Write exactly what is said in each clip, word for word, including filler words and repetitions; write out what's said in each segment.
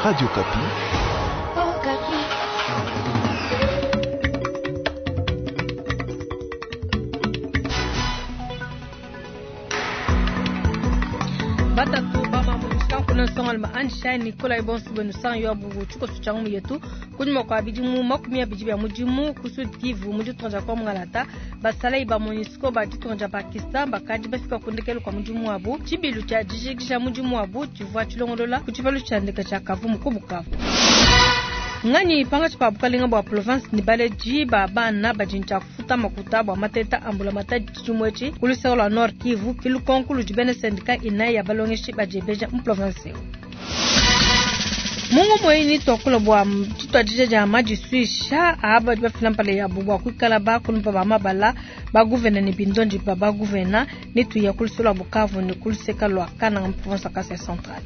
Radio Okapi. Batatu bamamulisha nsongalima Anshai Nikolai bonso benu sang yo abubu tshikoso tshia ngumu yetu kunyima kua bidimu makumi abidi bia mudimu ku Sud Kivu mu ditunga dia Kongo-Ngalata basalayi ba MONUSCO ba ditunga dia Pakistan bakadi bafika ku ndekelu kua mudimu wabu. Tshibilu tshia dijikija mudimu wabu tshivua tshilongolola ku tshipalu tshia ndeke tshia Kavumu ku Bukavu. Nganyi pangatshi pa bukalenga bua province ne baledi ba bana badi ne tshia kufuta makuta bua mateta a mbulamatadi tshidimu etshi ku luseke lua Nord Kivu ke lukonko ludi bena syndicat inayi ya balongeshi badiebeja mu province eu. Mungu moyini tuakula bua tshituadija dia madisuisha aba badi bafila mpala yabu bua kuikala bakulumpa ba mabala ba guvena ne bindondi ba ba guvena ne tuya ku luseke lua Bukavu ne ku luseke lua Kananga mu province ya Kasai Central.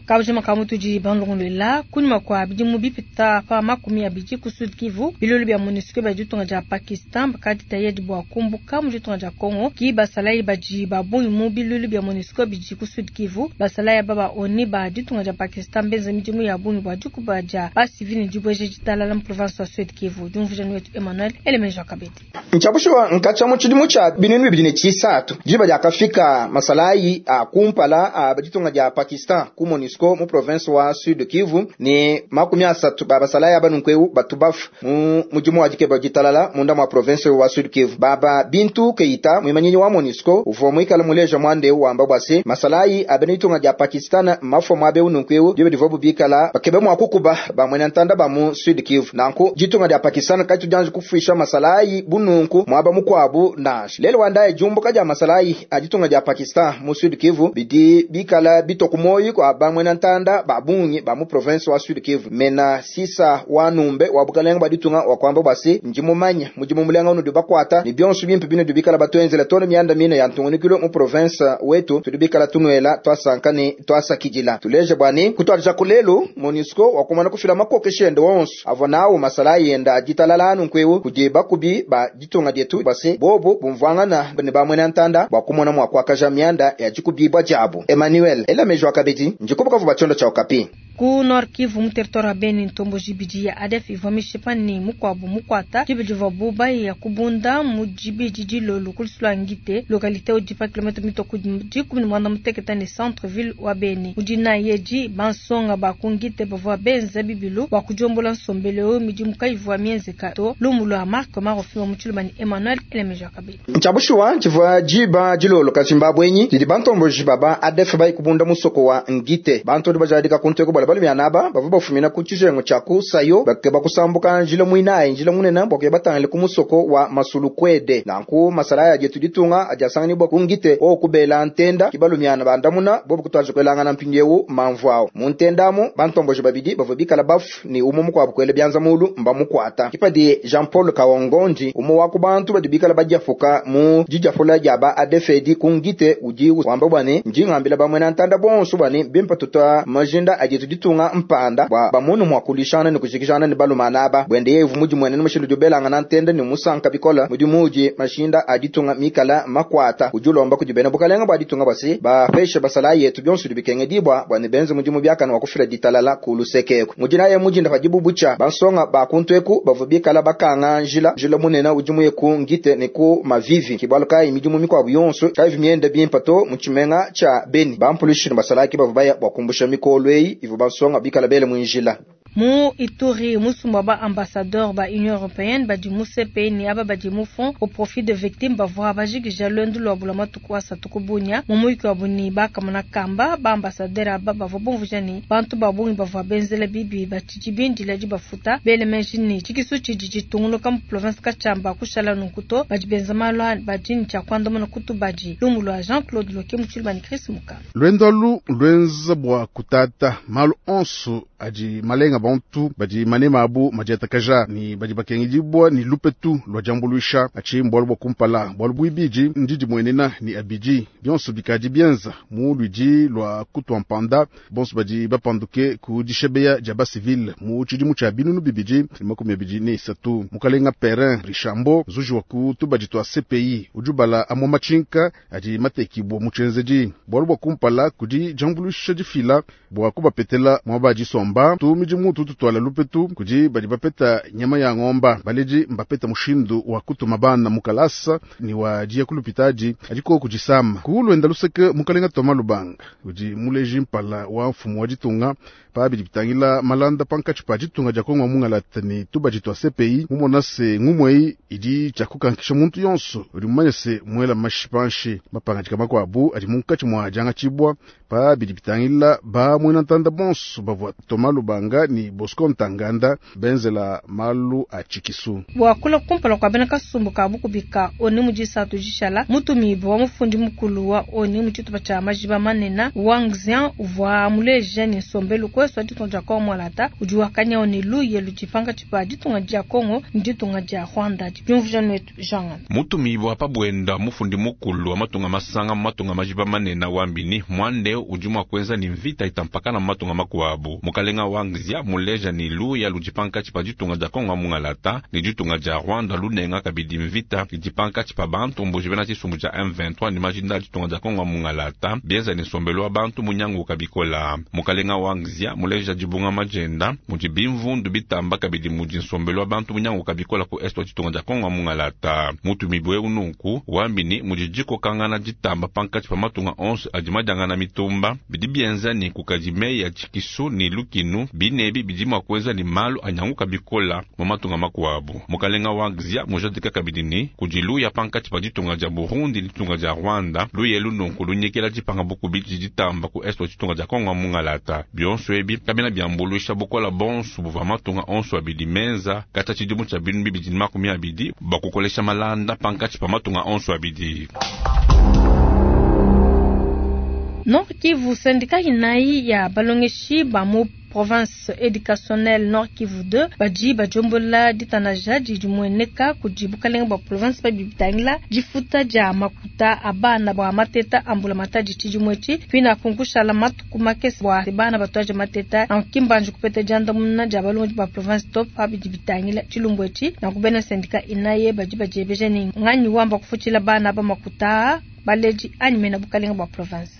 Kabujima ka mutudi bandongoluela kunyima kua bidimu bipita pa makumi abidi ku Sud Kivu bilulu bia MONUSCO bia ditunga dia Pakistan bakadi tayedi bua kumbuka mu ditunga dia Congo ki basalayi badi ba bungi mu bilulu bia MONUSCO bidi ku Sud Kivu. Basalayi aba ba ONU ba ditunga dia Pakistan benza midimu ya bungi bua dikuba dia basivili ne dibueja ditalala mu province wa Sud Kivu. Diumvuija ni wetu Emmanuel Elemeja Kabedi. Nchabushwa nkacha mu tshidimu tshia binunu bibidi ne tshisatu diba diakafika masalayi a kumpala a ditunga dia Pakistan ku MONUSCO mu province wa Sud Kivu ni makumi asatu ba basalayi aba nunkueu batu bafu mu mudimu wa dikeba ditalala munda mwa province wa Sud Kivu. Baba Bintu Keita mwimanyinyi wa MONUSCO uvua muikala muleja mwande wamba bwase masalayi abene ditunga dia Pakistan mafua mwabe nunkueu dibe divua bikala bakebe mwa kukuba ba mwena ntanda ba mu Sud Kivu. Nanku ditunga dia Pakistan kaitu dianji kufuisha masalayi bununku mwaba mukwabu nash lelo wandaye jumbuka dia masalayi a ditunga dia Pakistan mu Sud Kivu bidi bikala bitokumoyi kwa ba mwena ntanda ba bungi ba mu province wa Sud Kivu. Mena sisa wa numbe wa bukalenga ba ditunga wa kwamba basi njimumanya mudimu mulenga unu bakwata ni bionso bimpe bino dubikala batwenzela tone mianda mine ya ntungunikilo mu province wetu tudubikala tunwela twasanka ni twasakidila tuleje bwani kutwalija kulelu MONUSCO wakumana kufila makokeshende wonso avo nawo masalayi yenda ditalala anu nkwewu kudi bakubi ba ditunga dietu basi bobo bumvwangana ne ba mwena ntanda bwa kumona mwa kwakaja mianda ya dikubibwa diabu. Emmanuel Elamejo Akabedi njikubuka vuba tshiondo tshia Okapi. Ku Nord Kivu mu territoire ya Beni ntombo jibidi ya A D F ivua mishipa ni mukuabu mukuata dibidi vua buba ya kubunda mu dibidi dilolo ku lusulu lua Ngite localité udi pa kilomètre mitoku dikumi ne muanda mutekete ne centre ville wa Beni. Udi nayi edi bansonga ba ku Ngite bavua benza bibilu bua kudiombola nsombelu eu midimu kayivua mienzeka to. Lumu lua Marc Marofima mu Tshiluba ne Emmanuel Elemeja Kabedi. Ntshabushuwa tshivua diba dilolo ka Zimbabwe didi bantomboji baba A D F bayi kubunda musoko wa Ngite bantu udi bajadika kunteko bala balu mianaba bavua bafumina ku tshijengo tshia ku Sayo bakeba kusambuka njila muinayi njila munene bua kuya batangile ku musoko wa Masulukwede. Nanku masalaya dietu ditunga adiasanganibwa ku Ngite o kubela ntenda kibalu miana bandamuna bobu kutwaje kwelangana mpindiewu mamvu awo mu ntendamo bantomboji babidi bavua bikala bafu ni umu mukuabu kwele bianza mulu mba mukwata kipadi Jean Paul Kawongondi umu wa ku bantu badi bikala badiafuka mu dijafula dia ba A D F edi ku Ngite udi wamba bwane njingambila bamwe na ntanda bonso bwane bimpa tuta majinda adietu ditunga mpanda bwa bamunu mwa kulishana ni kujikijana ni balumana aba bwende yevu mudi mwene ni mushindu dubelanga na ntenda ni musanka bikola mudi mudi mashinda aditunga mikala makwata ujulomba kudibena bukalenga bwa ditunga basi bapesha basala yetu byonso dibikenge dibwa bwa ne benze mudi mubyakana wa kufila ditalala ku lusekeko mudi naye mudi ndafa dibubucha bansonga bakuntweku bavu bikala bakanga njila njila munene udi muye ku Ngite ne ku Mavivi kibwalu kai midimu mikwabu yonso kaivi mienda bimpa to mu tshimenga tsha Beni bampulushi ne basalaki bavu baya bwa kumbusha mikolo eyi ivu bansonga bikala bele mwinjila. Mu Ituri musumba ba ambassadeur ba Union européenne badi mu C P ni aba badi mu fond au profit de victimes bavua bajikija lwendu lwa bula matuku asatu ku Bunia mu muyuki wa buni bakamona kamba ba ambassadeur aba bavua bumvuija ni bantu ba bungi bavua benzela bibi batshidi bindila dibafuta bele menji ni tshikisu tshidi tshitunguluka mu province Katshamba kushala nunku to badi benza malu a badi ne tshia kuandamuna kutu badi lumu lua Jean-Claude Loke mu Tshiluba ne Chris Mukama. Lwendo alu lwenza bua kutata malu onso adi malenga Nangananga bantu badi manema abu madiatakaja ne badi bakengedibua ne lupetu lua diambuluisha. Atshi mbualu bua kumpala. Bualu buibidi ndidimuenena ne abidi bionso bikadi bienza mu luidi lua kutua mpanda bonso badi bapanduke ku dishebeya dia basivile mu tshidimu tshia binunu bibidi ne makumi abidi ne isatu. Mukalenga Perrin Rishambo nzuji wa ku tubadi tua C P I udi ubala amue matshinka adi matekibua mu tshienzedi. Bualu bua kumpala kudi diambuluisha difila bua kubapetela muaba disomba tu midimu tututuala lupetu kudi badi bapeta nyama ya ngomba baledi mbapeta mushindu wa kutuma bana mu kalasa ni wa diya kulupitadi adiko kudisama ku lwenda luseke mukalenga Thomas Lubanga udi muleji mpala wa mfumu wa ditunga pa bidi bitangila malanda pankatshi pa ditunga dia Kongo mungalata ne tubadi twa C P I mumona se ngumwei idi tshia kukankisha muntu yonso udi mumanye se mwela mashipanshi mapangadika makuabu adi munkatshi mwa diangatshibua pa bidi bitangila ba mwena ntanda bonso bavua Thomas Lubanga ni Bosco Ntaganda benzela malu a tshikisu. Bua kula kumpala kua bena kasumbu ka bukubika oni mu disatu dishala mutumibue wa mufundi mukulu wa oni mu tshitupa tshia majiba manene Wang Xian uvua muleja ne nsombelu kwesu wa ditunga dia Kongo Mwalata udi wakanya oni luye ludi pankatshi pa ditunga dia Kongo ne ditunga dia Rwanda. Diumvuija netu Jean. Mutumibue pa bwenda mufundi mukulu wa matunga masanga mu matunga majiba manene wambini mwande udi mua kuenza ni mvita itampakana mu matunga makuabu. Mukalenga Wang Xian muleja ni luya ludi pankatshi pa ditunga dia Kongo mungalata ne ditunga dia Rwanda lunenga kabidi mvita idi pankatshi pa bantu mbuji bena tshisumbu dia M vingt-trois ne majinda a ditunga dia Kongo mungalata bienza ni nsombelu wa bantu munyangu kabikola. Mukalenga Wang Xian muleja dibunga majenda mudi bimvundu bitamba kabidi mudi nsombelu wa bantu munyangu kabikola ku est wa ditunga dia Kongo mungalata. Mutumibue ununku wambini mudi dikokangana ditamba pankatshi pa matunga onso adi madiangana mitumba bidi bienza ni kukadi meyi ya tshikisu ni lukinu binebi bidi mua kuenza ni malu anyanguka bikola mu matunga makuabu. Mukalenga Wang Xian mujadika kabidi ni kudi luya pankatshi pa ditunga dia Burundi ni ditunga dia Rwanda luye lununku lunyekela dipanga bukubi ditamba ku est wa ditunga dia Kongo mungalata. Bionso ebi kabena biambuluisha bukola bonso buvua matunga onso abidi menza kata tshidimu tshia binunu bibidi ne makumi abidi bakukolesha malanda pankatshi pa matunga onso abidi. Nord Kivu, syndicat inayi ya balongeshi ba mu province éducationnelle Nord Kivu deux badi bajombola ditanaja didi mueneka kudi bukalenga bua province pa bibitangila difuta dia makuta a bana bua mateta ambula matadi tshidimu etshi pina kunkushala matuku makese bua bana batuaje mateta nankimbanji kupeta diandamuna dia balongi ba province top pa bidi bitangila tshilumbu etshi nankubena syndicat inaye badi badiebeja ni nganyi wamba kufutshila bana ba makuta baleji anyi mena bukalenga bua province.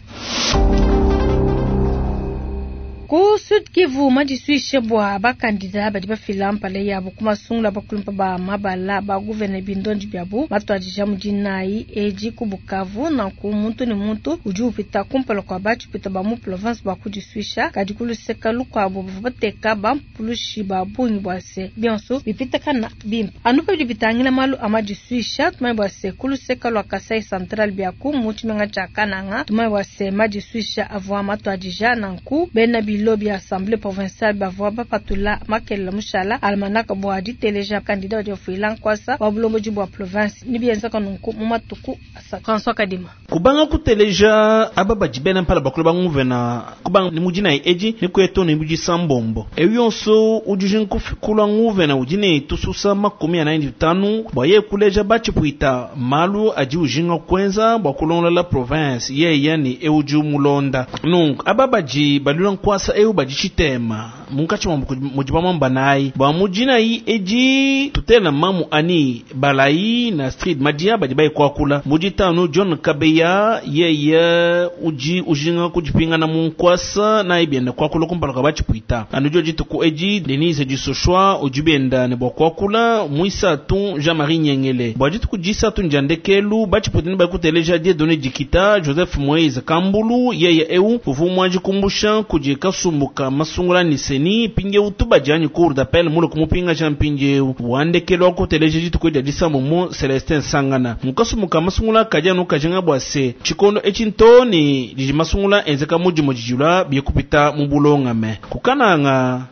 Ku Sud Kivu madisuishe bua bakandida badi bafila mpala yabo ku masungula bakulumpa ba mabala ba gouverneur bindondi biabu matuadija mu dinayi edi ku Bukavu nanku muntu ne muntu udi upita kumpala kua batshipita ba mu province ba kudisuisha kadi kuluseka lukuabu bavua bateka bampulushi ba bungi bua se bionso bipitakana bimpe anu pa bidi bitangila malu a madisuisha tumanye bua se kuluseka lua Kasai Central biaku mu tshimenga tshia Kananga tumanye bua se madisuisha avua matuadija nanku bena lobi assemblée provinciale bavua bapatula makelela mushala almanaka bua diteleja kandida wa diofila nkwasa wa bulomboji bua province ni bienzaka nunku mu matuku asatu. François Kadima kubanga kuteleja aba badi bena mpala bakulu banguvena kubanga ni mudina eji ni kweto ni mudi sambombo eyo yonso udi nkufikula nguvena udi ne tususa makumi anayi ne tanu bua ye kuleja batshipwita malu adi ujinga kwenza bua kulongola province yeye ni eudi mulonda nunku aba badi balula nkwasa eu badi tshitema munkatshi mwa mudi bamamba nayi bua mudina yi edi tutela mamu ani balai na street madia badi bayikwakula mudi tanu John Kabeya yeye uji ujinga kujipingana munkwasa na ibienda kwakula kumpala kwa batshipwita anu dituku edi Denise Disoshwa udi bienda ne bua kwakula muisatu Jean-Marie Nyengele bua dituku disatu njandekelu batshipwita ne bakuteleja Dieudonné Dikita Joseph Moise Kambulu yeye eu uvu mwanji kumbusha kudi kasumbuka masungula ni seni pinge utuba janyi cour d'appel mulo kumupinga Jean pinge wandekelu akuteleja dituku dia disambo mo Celestin Sangana mukasumbuka masungula kajanu kajanga bua se chikondo echintoni didi masungula enzeka mudimo dijula biekupita mu bulongame kukananga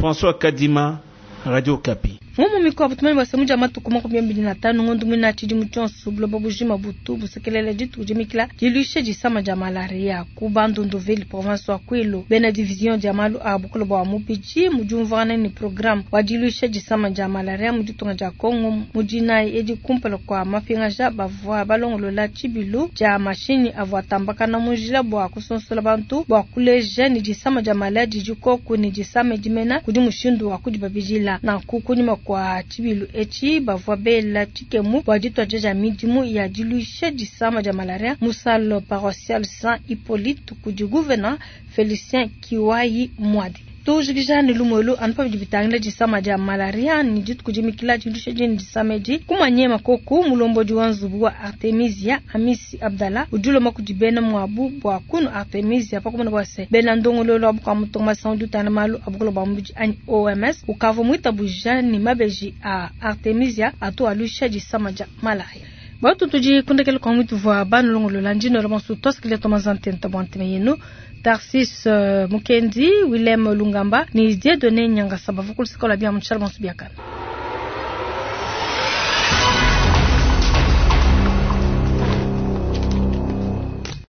François Kadima Radio Kapi. Ngumu mikuabu tumanye bua se mu dia matuku makumi abidi na tanu ngondo muina tshidimu tshionso buloba bujima butu busekelela dituku dimikila diluisha disama dia malaria ku Bandunduville province wa Kwilu. Bena division dia malu a bukole bua mubidi mu diumvuangana ne programme wa diluisha disama dia malaria mu ditunga dia Congo mu dinayi edi kumpala kua mapingaja bavua balongolola tshibilu dia mashinyi avua atambakana mu njila bua kusonsola bantu bua kuleja ne disama dia malaria didi koku ne disama dimena kudi mushindu wa kudibabidila. Nanku kunyima kwa tshibilu etshi bavua bela tshikemu bua dituadija dia midimu ya diluisha disama dia malaria mu salle paroissiale Saint Hippolyte kudi gouverneur Felicien Kiwai Mwadi. Tujikija ne lumuelu anu pabidi bitangila disama dia malaria ne dituku dimikila diluisha dine disama edi kumanyema koku mulombodi wa nzubu wa Artemisia Amisi Abdallah udi ulomba kudi bena muabu bua kunu Artemisia pakumona bua se bena ndongoluelu wa bukua matunga masanga udi utangila malu a bukole bua mubidi anyi O M S ukavua muitabuja ne mabeji a Artemisia atu aluisha disama dia malaria. Batu tudi kundekela kwa mwitu vwa banu longolola ndino la bonso tosikile tomazantenta bwa nteme yenu. Tarsis uh, Mukendi, Willem Lungamba, ni Dieudonné Nyangasa bavukulu sikola bia mutshal bonso biakana.